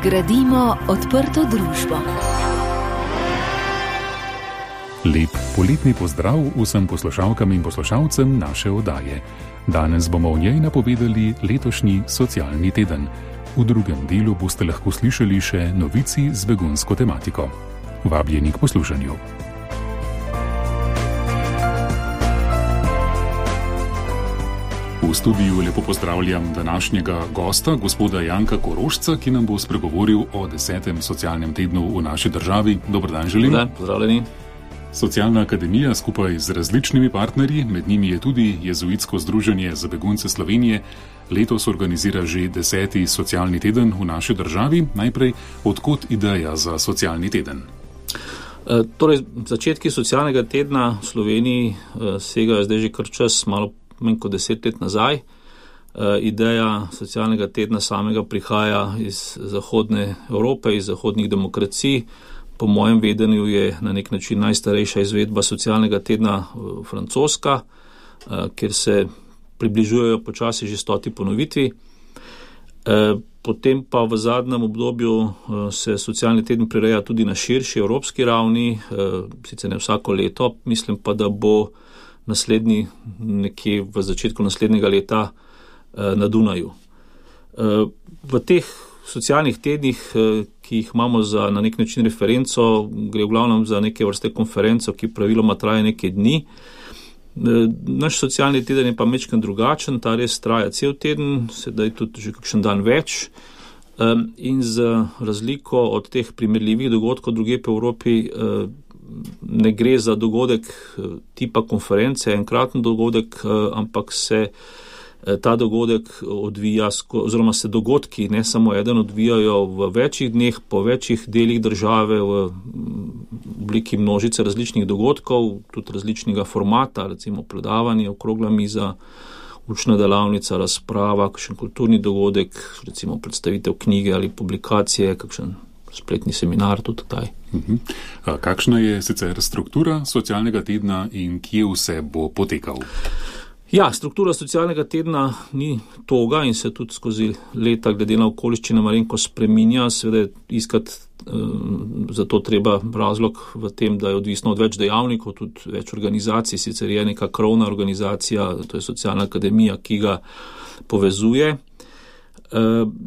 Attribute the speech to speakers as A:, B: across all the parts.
A: Gradimo odprto družbo.
B: Lep poletni pozdrav vsem poslušalkam in poslušalcem naše oddaje. Danes bomo v njej napovedali letošnji socialni teden. V drugem delu boste lahko slišali še novici z begunsko tematiko. Vabljeni k poslušanju. V studiu lepo pozdravljam današnjega gosta, gospoda Janka Korošca, ki nam bo spregovoril o 10. socialnem tednu v naši državi. Dober dan želim.
C: Dobar dan, pozdravljeni.
B: Socialna akademija skupaj z različnimi partnerji, med njimi je tudi Jezuitsko združenje za begunce Slovenije, letos organizira že 10. socialni teden v naši državi. Najprej, odkot ideja za socialni teden?
C: Torej, začetki socialnega tedna v Sloveniji segajo zdaj že kar čas, malo manj kot 10 let nazaj. Ideja socialnega tedna samega prihaja iz zahodne Evrope, iz zahodnih demokracij. Po mojem vedenju je na nek način najstarejša izvedba socialnega tedna francoska, kjer se približujejo počasi že 100. ponovitvi. Potem pa v zadnjem obdobju se socialni teden prireja tudi na širši evropski ravni, sicer ne vsako leto, mislim pa, da bo naslednji nekje v začetku naslednjega leta na Dunaju. V teh socialnih tednih, ki jih imamo za na nek način referenco, gre v glavnem za neke vrste konferenco, ki praviloma traja nekaj dni. Naš socialni teden je pa majčkeno drugačen, ta res traja cel teden, sedaj tudi že kakšen dan več. In z razliko od teh primerljivih dogodkov drugje po Evropi ne gre za dogodek tipa konference, enkraten dogodek, ampak se ta dogodek odvija, oziroma se dogodki, ne samo eden, odvijajo v večjih dneh, po večjih delih države, v obliki množice različnih dogodkov, tudi različnega formata, recimo predavanje, okrogla miza, učna delavnica, razprava, kakšen kulturni dogodek, recimo predstavitev knjige ali publikacije, kakšen spletni seminar tudi taj.
B: Kakšna je sicer struktura socialnega tedna in kje vse bo potekal?
C: Ja, struktura socialnega tedna ni toga in se tudi skozi leta glede na okoliščine malenko spreminja. Seveda iskati za to treba razlog v tem, da je odvisno od več dejavnikov, tudi več organizacij, sicer je neka krovna organizacija, to je socialna akademija, ki ga povezuje.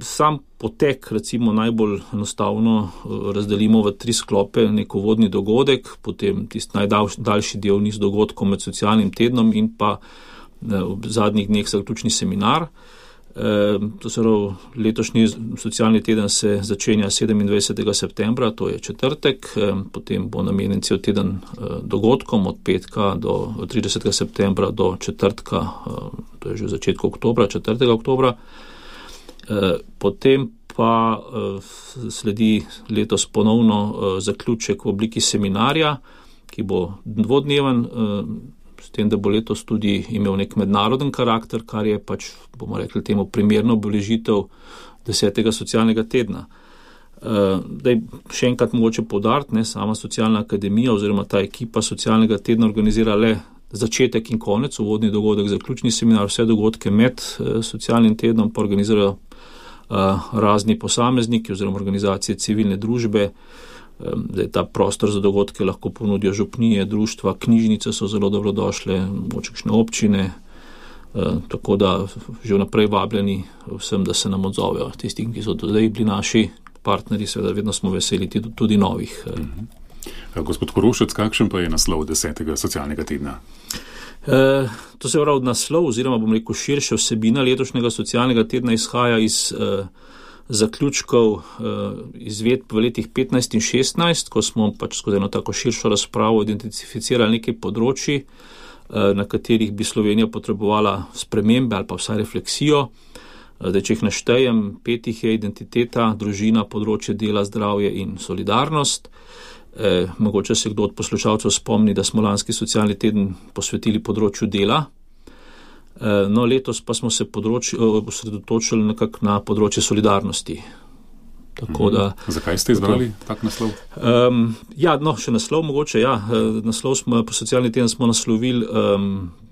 C: Sam potek, recimo najbolj enostavno razdelimo v 3 sklope, neko vodni dogodek, potem tisti najdaljši del niz dogodkov med socialnim tednom in pa v zadnjih dneh zaključni seminar. To se pravi, letošnji socialni teden se začenja 27. septembra, to je četrtek, potem bo namenjen cel teden dogodkom od petka do 30. septembra do četrtka, to je že v začetku oktobra, 4. oktobra. Potem pa sledi letos ponovno zaključek v obliki seminarja, ki bo dvodneven, s tem, da bo letos tudi imel nek mednaroden karakter, kar je pač, bomo rekli temu, primerno obeležitev 10. socialnega tedna. Še enkrat mogoče poudariti, sama socialna akademija oziroma ta ekipa socialnega tedna organizira le začetek in konec, uvodni dogodek, zaključni seminar, vse dogodke med socialnim tednom pa organizirajo razni posamezniki oziroma organizacije civilne družbe. Ta prostor za dogodke lahko ponudijo župnije, društva, knjižnice so zelo dobrodošle, močekšne občine, tako da že vnaprej vabljeni vsem, da se nam odzovejo. Tisti, ki so zdaj bili naši partnerji, seveda vedno smo veseli tudi novih.
B: Gospod Korošec, kakšen pa je naslov 10. socialnega tedna?
C: To se pravi naslov, oziroma bom rekel širša vsebina letošnjega socialnega tedna izhaja iz zaključkov izvedb v letih 15 in 16, ko smo pač skozi eno tako širšo razpravo identificirali nekaj področji, na katerih bi Slovenija potrebovala spremembe ali pa vsaj refleksijo. Če jih naštejem, 5 je identiteta, družina, področje dela, zdravje in solidarnost. Mogoče se kdo od poslušalcev spomni, da smo lanski socialni teden posvetili področju dela. No, letos pa smo se osredotočili nekako na področje solidarnosti. Tako da,
B: zakaj ste izbrali tak naslov?
C: Še naslov mogoče, Naslov smo, po socialni teden smo naslovili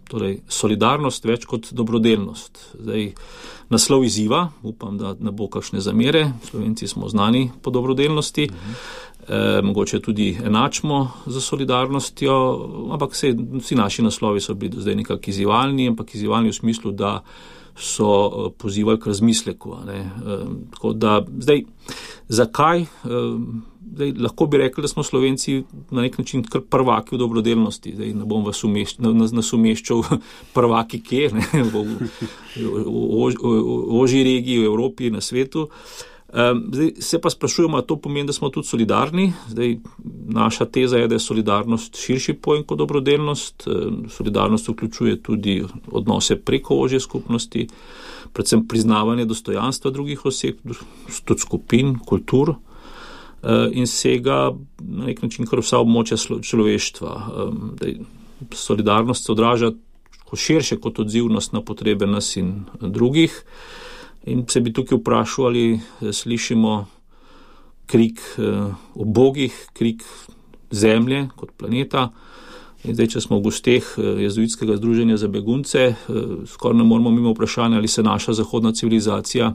C: torej solidarnost več kot dobrodelnost. Zdaj, naslov izziva, upam, da ne bo kakšne zamere, Slovenci smo znani po dobrodelnosti, mogoče tudi enačimo za solidarnostjo, ampak vsi naši naslovi so bili do zdaj nekako izzivalni, ampak izzivalni v smislu, da so pozivali k razmisleku. Tako da, zdaj, zakaj? Zdaj, lahko bi rekli, da smo Slovenci na nek način kar prvaki v dobrodelnosti. Zdaj, ne bom vas umeščal prvaki kje, v ožji regiji, v Evropi, na svetu. Zdaj, se pa sprašujemo, to pomeni, da smo tudi solidarni. Zdaj, naša teza je, da je solidarnost širši pojem kot dobrodelnost. Solidarnost vključuje tudi odnose preko ožje skupnosti, predvsem priznavanje dostojanstva drugih oseb, tudi skupin, kultur, in sega na nek način kar vsa območja človeštva. Solidarnost se odraža širše kot odzivnost na potrebe nas in drugih. In se bi tukaj vprašal, ali slišimo krik ubogih, krik zemlje kot planeta. In zdaj, če smo v gosteh jezuitskega združenja za begunce, skoraj ne moramo mimo vprašanja, ali se naša zahodna civilizacija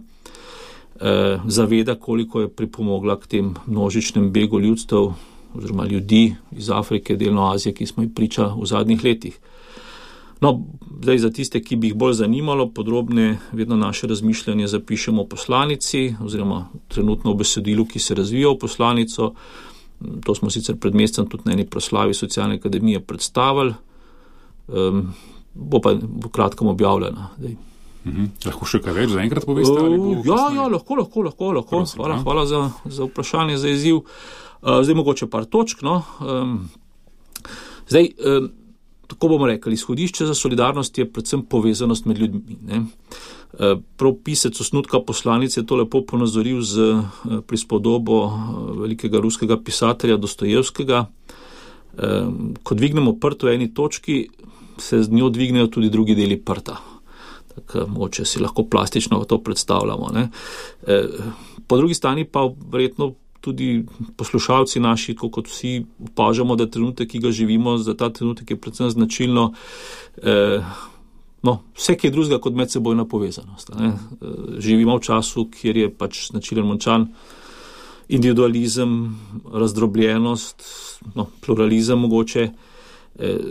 C: zaveda, koliko je pripomogla k tem množičnem begu ljudstev oziroma ljudi iz Afrike, delno Azije, ki smo jih priča v zadnjih letih. No, zdaj za tiste, ki bi jih bolj zanimalo, podrobne vedno naše razmišljanje zapišemo v poslanici oziroma trenutno v besedilu, ki se razvija v poslanico. To smo sicer pred mesecem tudi na eni proslavi Socialne akademije predstavili. Bo pa v kratkem objavljena.
B: Lahko še kaj več zaenkrat poveste?
C: Ja, lahko. Hvala za vprašanje, za izziv. Zdaj mogoče par točk. Zdaj, tako bomo rekli, izhodišče za solidarnost je predvsem povezanost med ljudmi. Prav pisec osnutka poslanice je to lepo ponazoril z prispodobo velikega ruskega pisatelja Dostojevskega. Ko dvignemo prt v eni točki, se z njo dvignejo tudi drugi deli prta. Tako mogoče si lahko plastično to predstavljamo. Po drugi strani pa verjetno tudi poslušalci naši, kot vsi opažamo, da trenutek, ki ga živimo, za ta trenutek je predvsem značilno vse, ki je drugega kot medsebojna povezanost. Živimo v času, kjer je pač značilen močan individualizem, razdrobljenost, pluralizem mogoče.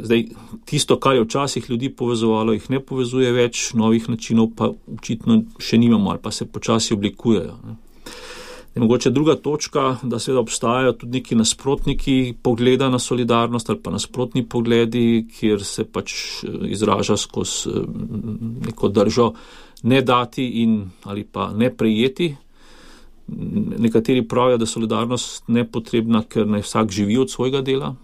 C: Zdaj, tisto, kar je včasih ljudi povezovalo, jih ne povezuje več, novih načinov pa očitno še nimamo ali pa se počasi oblikujejo. Mogoče druga točka, da seveda obstajajo tudi neki nasprotniki pogleda na solidarnost ali pa nasprotni pogledi, kjer se pač izraža skozi neko držo ne dati ali pa ne prejeti. Nekateri pravijo, da je solidarnost nepotrebna, ker naj vsak živi od svojega dela.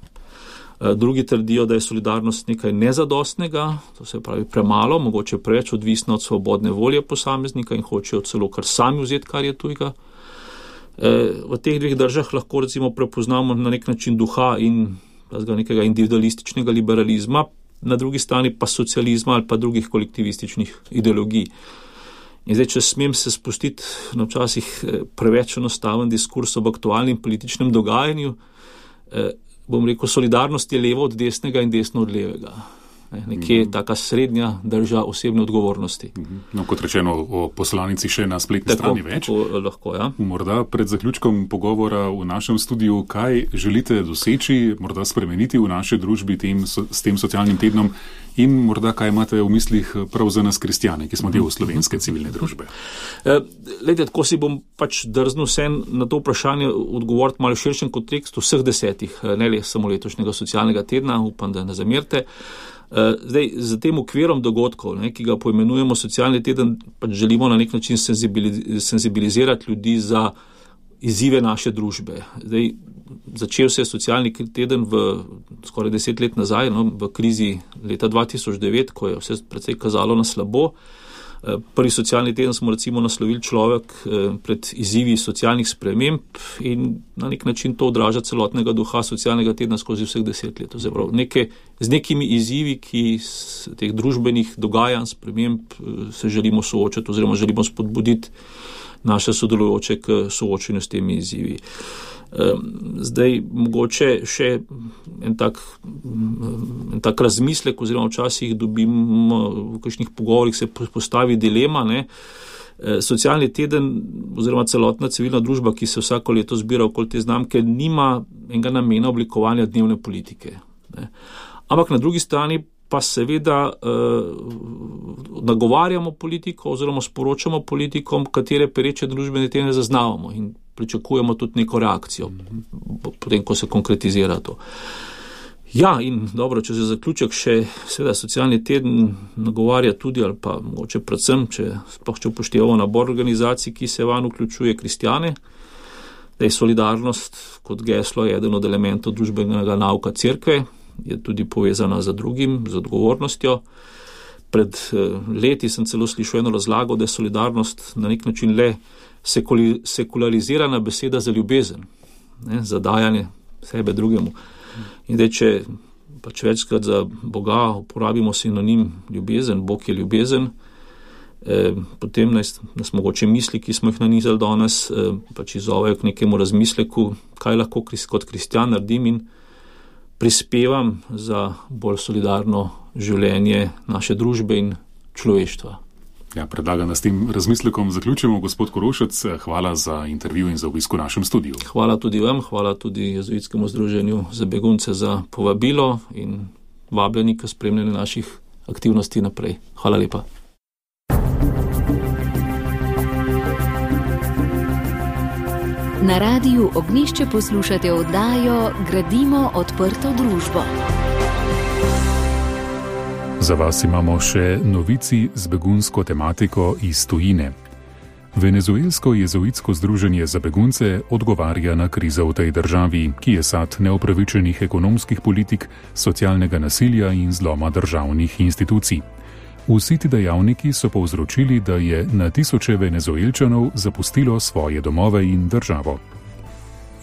C: Drugi trdijo, da je solidarnost nekaj nezadostnega, to se pravi premalo, mogoče preveč odvisna od svobodne volje posameznika in hočejo celo kar sami vzeti, kar je tujega. V teh dveh državah lahko recimo prepoznamo na nek način duha in nekega individualističnega liberalizma, na drugi strani pa socializma ali pa drugih kolektivističnih ideologij. In zdaj, če smem se spustiti na včasih preveč enostaven diskurs ob aktualnem političnem dogajanju, bom rekel, solidarnost je levo od desnega in desno od levega. Nekje taka srednja drža osebne odgovornosti.
B: Kot rečeno, o poslanici še na spletni strani več.
C: Tako lahko, ja.
B: Morda pred zaključkom pogovora v našem studiu, kaj želite doseči, morda spremeniti v naši družbi s tem socialnim tednom in morda kaj imate v mislih prav za nas kristjane, ki smo del slovenske civilne družbe?
C: Tako si bom pač drznil vsem na to vprašanje odgovoriti malo širšem kontekstu vseh 10, ne le samo letošnjega socialnega tedna, upam, da ne zamerite. Zdaj, za tem okvirom dogodkov, ki ga poimenujemo socialni teden, pač želimo na nek način senzibilizirati ljudi za izzive naše družbe. Zdaj, začel se je socialni teden skoraj 10 let nazaj, v krizi leta 2009, ko je vse precej kazalo na slabo. Prvi socialni teden smo recimo naslovili človek pred izzivi socialnih sprememb in na nek način to odraža celotnega duha socialnega tedna skozi vseh 10 let. Z nekimi izzivi, ki teh družbenih dogajanj, sprememb se želimo soočati oziroma želimo spodbuditi naše sodelujoče k soočenju s temi izzivi. Zdaj, mogoče še en tak razmislek, oziroma včasih dobimo v kakšnih pogovorih se postavi dilema, ne. Socialni teden oziroma celotna civilna družba, ki se vsako leto zbira okoli te znamke, nima enega namena oblikovanja dnevne politike, ne. Ampak na drugi strani pa seveda nagovarjamo politiko oziroma sporočamo politikom, katere pereče družbene teme zaznavamo in pričakujemo tudi neko reakcijo, potem, ko se konkretizira to. Ja, in dobro, če se zaključek še, seveda, socialni teden nagovarja tudi, ali pa mogoče predvsem, če upoštevamo nabor organizacij, ki se vanj vključuje kristjane, da je solidarnost kot geslo eden od elementov družbenega nauka cerkve, je tudi povezana z drugim, z odgovornostjo. Pred leti sem celo slišal eno razlago, da je solidarnost na nek način le sekularizirana beseda za ljubezen, ne, za dajanje sebe drugemu. In zdaj, če pač večkrat za Boga uporabimo sinonim ljubezen, Bog je ljubezen, potem nas mogoče misli, ki smo jih nanizali danes, pač izzovejo k nekemu razmisleku, kaj lahko kot kristjan naredim in prispevam za bolj solidarno življenje naše družbe in človeštva.
B: Ja, predlagam, da s tem razmislekom zaključimo. Gospod Korošec, hvala za intervju in za obisk v našem studiu.
C: Hvala tudi vam, hvala tudi Jezuitskemu združenju za begunce za povabilo in vabljeni k spremljanju naših aktivnosti naprej. Hvala lepa.
A: Na Radiu Ognjišče poslušate oddajo Gradimo odprto družbo.
B: Za vas imamo še novici z begunsko tematiko iz tujine. Venezuelsko jezuitsko združenje za begunce odgovarja na krizo v tej državi, ki je sad neupravičenih ekonomskih politik, socialnega nasilja in zloma državnih institucij. Vsi ti dejavniki so povzročili, da je na tisoče Venezuelčanov zapustilo svoje domove in državo.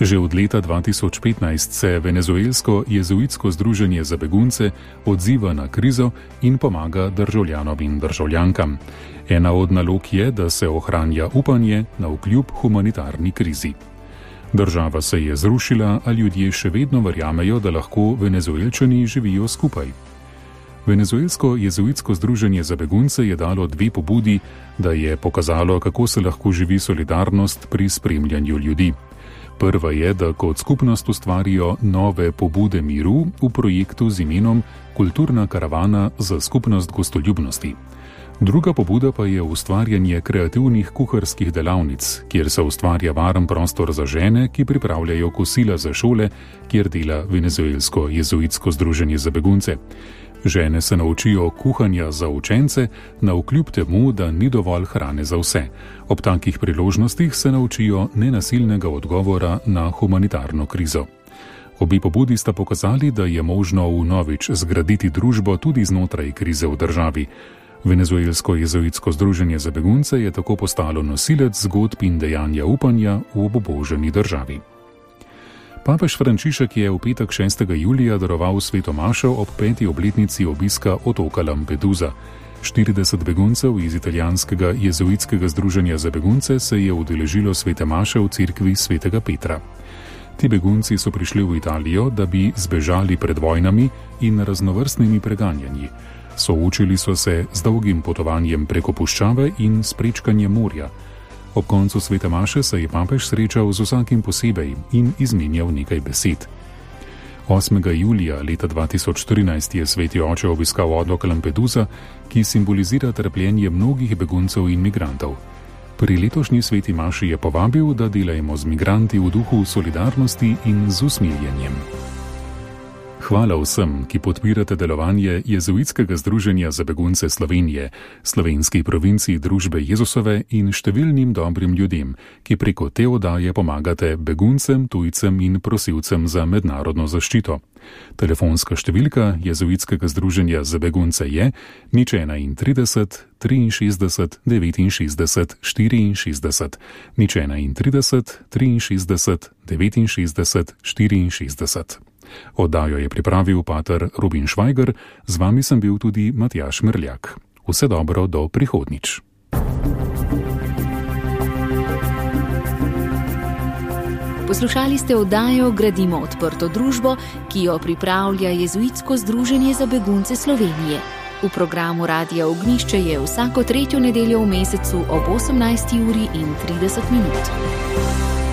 B: Že od leta 2015 se Venezuelsko jezuitsko združenje za begunce odziva na krizo in pomaga državljanom in državljankam. Ena od nalog je, da se ohranja upanje navkljub humanitarni krizi. Država se je zrušila, a ljudje še vedno verjamejo, da lahko Venezuelčani živijo skupaj. Venezuelsko jezuitsko združenje za begunce je dalo 2 pobudi, da je pokazalo, kako se lahko živi solidarnost pri spremljanju ljudi. Prva je, da kot skupnost ustvarijo nove pobude miru v projektu z imenom Kulturna karavana za skupnost gostoljubnosti. Druga pobuda pa je ustvarjanje kreativnih kuharskih delavnic, kjer se ustvarja varen prostor za žene, ki pripravljajo kosila za šole, kjer dela Venezuelsko jezuitsko združenje za begunce. Žene se naučijo kuhanja za učence, navkljub temu, da ni dovolj hrane za vse. Ob takih priložnostih se naučijo nenasilnega odgovora na humanitarno krizo. Obi pobudi sta pokazali, da je možno vnovič zgraditi družbo tudi znotraj krize v državi. Venezuelsko jezuitsko združenje za begunce je tako postalo nosilec zgodb in dejanja upanja v obubožani državi. Papež Frančišek je v petek 6. julija daroval sveto mašo ob 5. obletnici obiska otoka Lampedusa. 40 beguncev iz italijanskega jezuitskega združenja za begunce se je udeležilo svete maše v cerkvi svetega Petra. Ti begunci so prišli v Italijo, da bi zbežali pred vojnami in raznovrstnimi preganjanji. Soočili so se z dolgim potovanjem preko puščave in s prečkanjem morja. Ob koncu svete maše se je papež srečal z vsakim posebej in izmenjal nekaj besed. 8. julija leta 2014 je sveti oče obiskal otok Lampedusa, ki simbolizira trpljenje mnogih beguncev in migrantov. Pri letošnji sveti maši je povabil, da delajmo z migranti v duhu solidarnosti in z usmiljenjem. Hvala vsem, ki podpirate delovanje Jezuitskega združenja za begunce Slovenije, slovenski provinciji družbe Jezusove in številnim dobrim ljudem, ki preko te oddaje pomagate beguncem, tujcem in prosilcem za mednarodno zaščito. Telefonska številka Jezuitskega združenja za begunce je 031 63 69 64, 031 63 69 64. Oddajo je pripravil pater Rubin Švajger, z vami sem bil tudi Matjaž Mrljak. Vse dobro do prihodnjič.
A: Poslušali ste oddajo Gradimo odprto družbo, ki jo pripravlja Jezuitsko združenje za begunce Slovenije. V programu Radia Ognjišče je vsako 3. nedeljo v mesecu ob 18:30.